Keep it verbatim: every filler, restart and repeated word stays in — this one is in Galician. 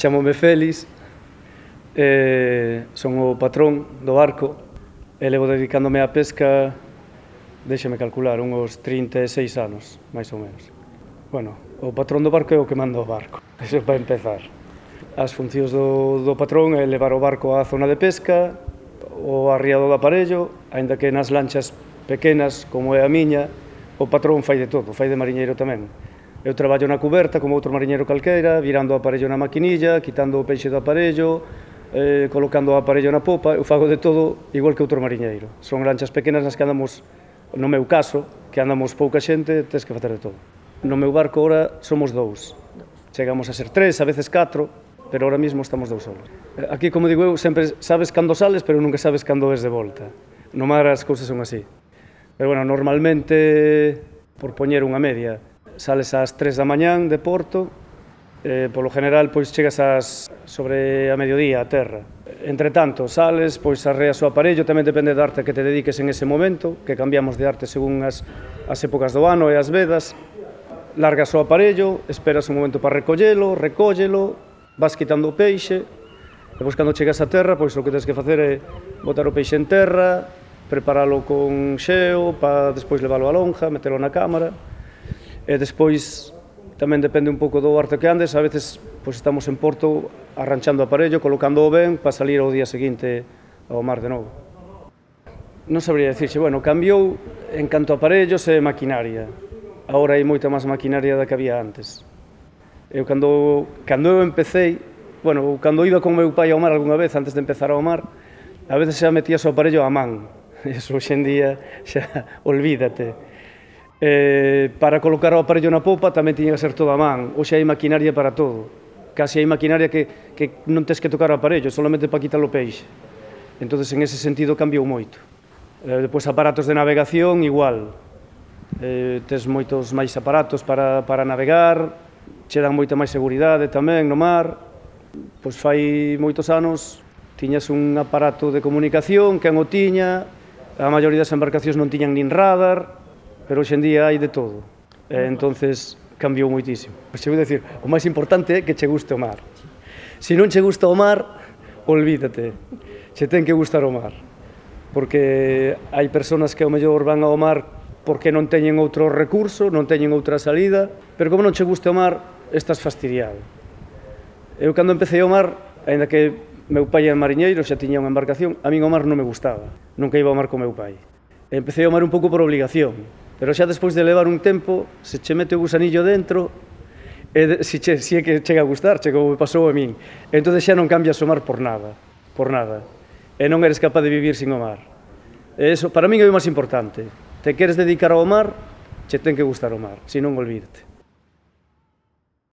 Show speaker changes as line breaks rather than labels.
Chámome Félix, eh, son o patrón do barco e levo dedicándome á pesca, déxame calcular, uns trinta e seis anos, máis ou menos. Bueno, o patrón do barco é o que manda o barco, eso é para empezar. As funcións do, do patrón é levar o barco á zona de pesca, o arriado do aparello, aínda que nas lanchas pequenas, como é a miña, o patrón fai de todo, fai de mariñeiro tamén. Eu traballo na cuberta como outro mariñeiro calqueira, virando o aparello na maquinilla, quitando o peixe do aparello, eh, colocando o aparello na popa, eu fago de todo igual que outro mariñeiro. Son lanchas pequenas nas que andamos, no meu caso, que andamos pouca xente, tens que facer de todo. No meu barco ora somos dous. Chegamos a ser tres, a veces catro, pero ahora mismo estamos dous solos. Aquí, como digo eu, sempre sabes cando sales, pero nunca sabes cando ves de volta. No mar as cousas son así. Pero, bueno, normalmente, por poñer unha media, sales ás tres da mañán de Porto, eh, polo general, pois chegas ás sobre a mediodía a terra. Entre tanto, sales, pois arreas o aparello, tamén depende da arte que te dediques en ese momento, que cambiamos de arte según as, as épocas do ano e as vedas. Largas o aparello, esperas un momento para recollelo, recóllelo, vas quitando o peixe, e pois cando chegas a terra, pois o que tens que facer é botar o peixe en terra, preparalo con xeo, para despois leválo á lonja, metelo na cámara. E despois tamén depende un pouco do arte que andes, a veces pois estamos en Porto arranchando o aparello, colocando o ben para salir ao día seguinte ao mar de novo. Non sabría dicirxe, bueno, cambiou en canto a aparellos e maquinaria. Agora hai moita máis maquinaria da que había antes. Eu cando, cando eu empecé, bueno, cando iba con meu pai ao mar algunha vez, antes de empezar ao mar, a veces xa metías o aparello á man. Eso hoxe en día xa olvídate. Eh, para colocar o aparello na popa tamén tiña que ser todo a man. Hoxe hai maquinaria para todo. Casi hai maquinaria que, que non tens que tocar o aparello, solamente para quitar o peixe. Entón, en ese sentido, cambiou moito. Eh, depois, aparatos de navegación, igual. Eh, tes moitos máis aparatos para, para navegar, che dan moita máis seguridade tamén no mar. Pois fai moitos anos tiñas un aparato de comunicación, quen o tiña, a maioría das embarcacións non tiñan nin radar, pero hoxe en día hai de todo. E, entonces, cambiou moitísimo. Pois che vou dicir, o máis importante é que che guste o mar. Se non che gusta o mar, olvídate. Che ten que gustar o mar. Porque hai persoas que ao mellor van ao mar porque non teñen outro recurso, non teñen outra salida, pero como non che guste o mar, estás fastidiado. Eu, cando empecé ao mar, aínda que meu pai era mariñeiro, xa tiña unha embarcación, a min o mar non me gustaba. Nunca iba ao mar con meu pai. Empecé ao mar un pouco por obligación, pero xa despois de levar un tempo, se che mete o gusanillo dentro, e se, che, se é que chega a gustar, che como me pasou a min, entón xa non cambias o mar por nada, por nada, e non eres capaz de vivir sin o mar. E eso, para min é o máis importante. Te queres dedicar ao mar, che ten que gustar o mar, senón olvídate.